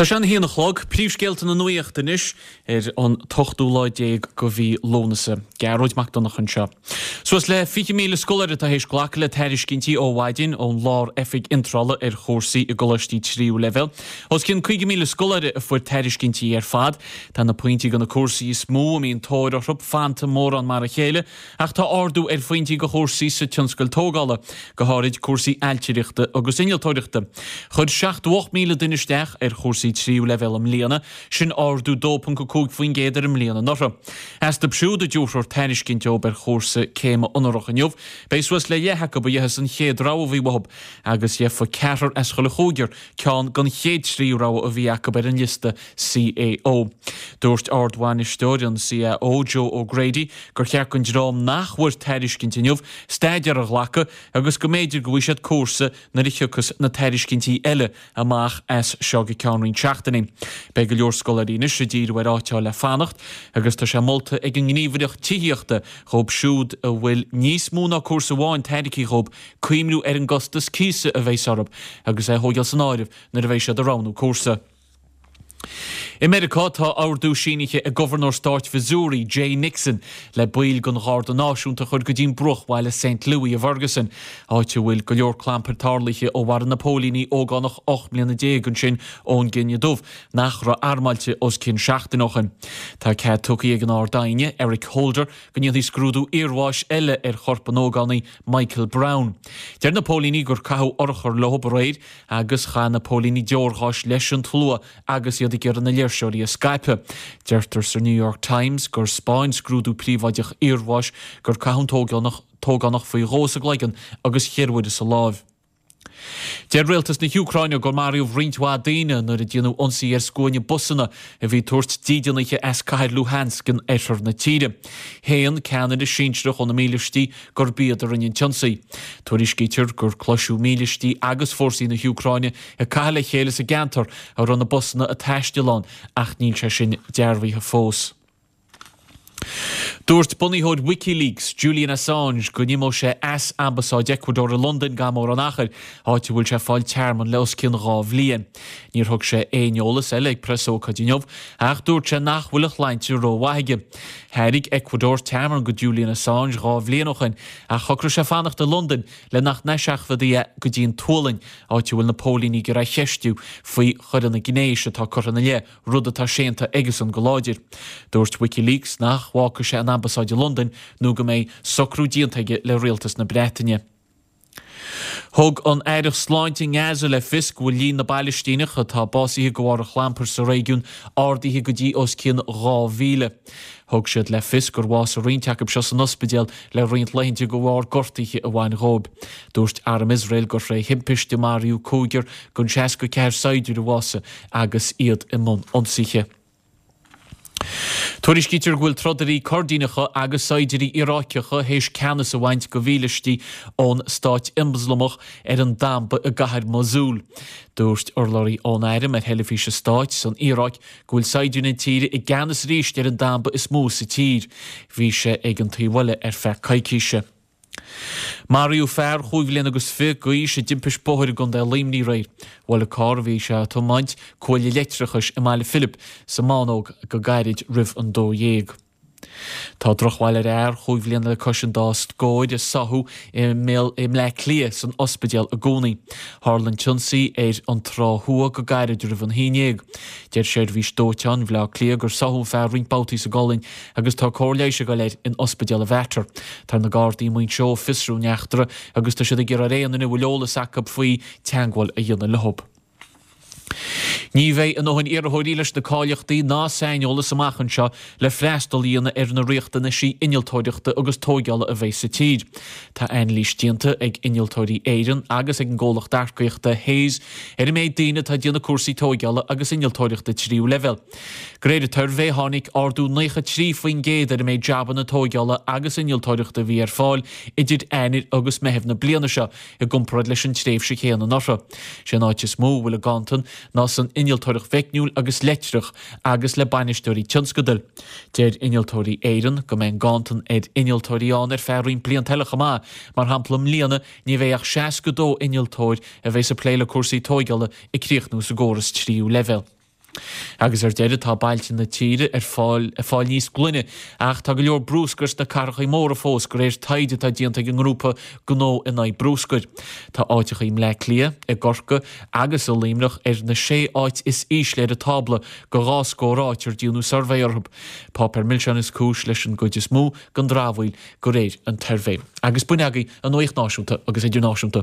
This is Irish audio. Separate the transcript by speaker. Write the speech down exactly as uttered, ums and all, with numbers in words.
Speaker 1: Tá sé an haon a chlog, príomhscéalta na nuachta anois ar an t-ochtú lá déag de mhí Lúnasa. Gearóid Mac Donncha anseo. Suas le fiche míle scoláire atá théis glacadh le tairiscintí ó mhaidin ón Lár-Oifig Iontrála ar chúrsaí i gcoláistí tríú leibhéal. Os cionn caoga míle scoláire a fuair tairiscintí ar fad. Tá na pointí do na cúrsaí is mó a mbíonn tóir orthu fanta mórán mar a chéile, ach tá ardú ar phointí do chúrsaí sa tionscal tógála, go háirid cúrsaí ailtireachta agus innealtóireachta. Chuir seachtó ocht míle duine isteach ar chúrsaí tríú leibhéal i mbliana, sin ardú dó ponc a cúig faoin gcéad ar an mbliain anuraidh. Astu siúd a diúltaíodh tairiscint dóibh ar chúrsa céime onórach inniu, beidh suas le leath acu a gheobhas an chéad rogha a bhí uathu, agus gheofa ceathrar as chuile chúigear ceann den chéad trí rogha a bhí acu ar an liosta C A O. Dúirt Ardbhainisteoir an C A O, Joe O'Grady, gur cheart don dream nach bhfuair tairiscint inniu staidéar a ghlacadh agus go mb'fhéidir go bhfaighidh siad cúrsa nuair a thiocfas na tairiscintí eile amach as seo go ceann roinnt seachtainí. Beidh go leor scoláirí anois ag díriú ar áit le fanacht agus tá sé molta ag an ngníomhaireacht tithíochta dhóibh siúd a bhfuil níos mó ná cúrsa amháin tairgthe dhóibh cuimhniú ar an gcostas cíosa a bheas orthu agus é a thógáil san áireamh nuair a bheidh siad ag roghnú cúrsa. I Meiriceá tá ordú sínithe ag Gobharnóir Stáit Mhissouri, Jay Nixon, le baill den Gharda Náisiúnta a chur go dtí an bruachbhaile Saint Louis i Ferguson, áit a bhfuil go leor clampair tarlaithe ó mharaigh na póilíní ógánach ocht mbliana déag ansin ón gcine dubh nach raibh armáilte os cionn seachtain ó shin. Tá cead tugtha ag an Ard-Aighne, Eric Holder, go ndéanfaí scrúdú iarbháis eile ar chorp an ógánaigh Michael Brown. Deir na póilíní gur caitheadh urchar leo aréir agus chaith na póilíní deorgháis leis an tslua agus iad ag iarraidh na léirseoirí a scaipeadh. Deirtear sa New York Times gur thaispeáin scrúdú príobháideach iarbháis gur caitheadh an t-ógánach t-ógánach faoi dhó sa gcloigeann agus ceithre huaire sa láimh. Deir rialtas na hÚcráine gur maraíodh roinnt mhaith daoine nuair a déanadh ionsaí ar scuaine busanna a bhí ag tabhairt dídeanaithe as cathair Luhansk in oirthear na tíre. Shéan ceannaire sinsearach ó na mílístí gurb iad a rinne an t-ionsaí. Tuairiscítear gur cloiseadh mílístí agus fórsaí na hÚcráine ag caitheamh le chéile sa gceantar a raibh na busanna ag taisteal ann ach níl sé sin dearbhaithe fós. Dúirt bunaitheoir WikiLeaks, Julian Assange, go n-imeodh sé as ambasáid Ecuador i Londain gan mórán achair, áit a bhfuil sé ag fáil tearmann le os cionn dhá bhliain. Níor thug sé aon eolas eile ag preasócáid inniu, ach dúirt sé nach bhfuil a shláinte rómhaith aige. Thairg Ecuador tearmann go Julian Assange dhá bhliain ó shin, ach shocraigh sé fanacht i Londain le nach n-eiseachadfaí é go dtí an tSualainn, áit a bhfuil na póilíní ag iarraidh é a cheistiú faoi choireanna gnéis atá curtha ina leith, rud atá séanta aigesan go láidir. Dúirt WikiLeaks nach bhfágfaidh sé an ambasáid i Londain nó go mbeidh socrú déanta aige le rialtas na Breataine. Thug an Aireacht Sláinte i nGaza le fios go bhfuil líon na bPalaistíneach atá básaithe de bharr an chlampair sa réigiún ardaithe go dtí os cionn dhá mhíle. Thug siad le fios gur bhásaigh roinnt acu seo san ospidéal le roinnt laethanta de bharr gortuithe a bhain dhóibh. Dúirt Arm Iosrael gur tré thimpiste maraíodh cúigear den seasca ceathair saighdiúir a bhásaigh agus iad i mbun ionsaithe. Tuairiscítear go bhfuil trodairí Coirdíneacha agus saighdiúirí Iaráiceacha théis ceannas a bhaint de mhílístí ón Stát Ioslamach ar an damba i gcathair Mosul. Dúirt urlabhraí ón arm ar theilifís an stáit san Iaráic go bhfuil saighdiúirí na tíre i gceannas arís ar an damba is mó sa tír. Bhí sé ag an taobh eile ar feadh coicíse. Maraíodh fear chúig bhliain agus fiche d'aois i dtimpiste bóthair i gContae Luimnigh aréir. Bhuail an carr a bhí sé ag tiomáint cuaille leictreachais i mBaile Philip sa mBánóg go gairid roimh an dó dhéag. Tá drochbhail ar fhear chúig bhliana le cois an dá scór a sáthadh i mBleá Cliath san ospidéal i gcónaí. Tharla an t-ionsaí ar an Trá Thuaidh go gairid roimh an haon déag. Deir seirbhís dóiteáin Bhleá Cliath gur sáthadh an fear roinnt babhtaí sa gcolainn agus tá cóir leighis ag dul air in ospidéal an Mhater. Tá na Gardaí i Muinseo ag fiosrú an eachtra agus tá siad ag iarraidh ar aon duine a bhfuil eolas acu faoi teagmháil a dhéanamh leo. Ní bheidh a ndóthain iarrthóirí leis na cáilíochtaí ná saineolas amach anseo le freastal a dhéanamh ar na riachtanaisí innealtóireachta agus tógála a bheidh sa tír. Tá anailís déanta ag Innealtóirí Éireann agus ag an gcomhlacht earcaíochta Hays ar an méid daoine atá ag déanamh cúrsaí tógála agus innealtóireachta tríú leibhéal. De réir an tsuirbhé tháinig ardú nócha trí faoin gcéad ar an méid jabanna tógála agus innealtóireachta a bhí ar fáil idir Eanáir agus Meitheamh na bliana seo i gcomparáid leis an tréimhse chéanna anuraidh. Sé an áit is mó a bhfuil an ganntan ná san innealtóireacht mheicniúil agus leictreach agus le bainisteoirí tionscadail. Deir Innealtóirí Éireann go mbeidh an ganntan ar innealtóirí ann ar feadh roinnt blianta eile chomh maith, mar shampla i mbliana ní bheidh ach seasca dó innealtóir a bheidh ag plé le cúrsaí tógála ag críochnú sa gcóras tríú leibhéal. Agus ar deireadh tá bailte na tíre ag fáil ag fáil níos glaine ach tá go leor bruscair sna cathracha móra fós de réir taighde atá déanta ag an ngrúpa Gnó in Aghaidh Bruscair. Tá áiteacha i mBleá Cliath, i gCorcaigh agus i Luimneach ar na sé áit is ísle ar an tábla de dhá scór áit ar déanadh suirbhé orthu. Páipéar milseáin is cúis leis an gcuid is mó den dramhaíl de réir an tsuirbhé. Agus b'in agaibh an nuacht náisiúnta agus idirnáisiúnta.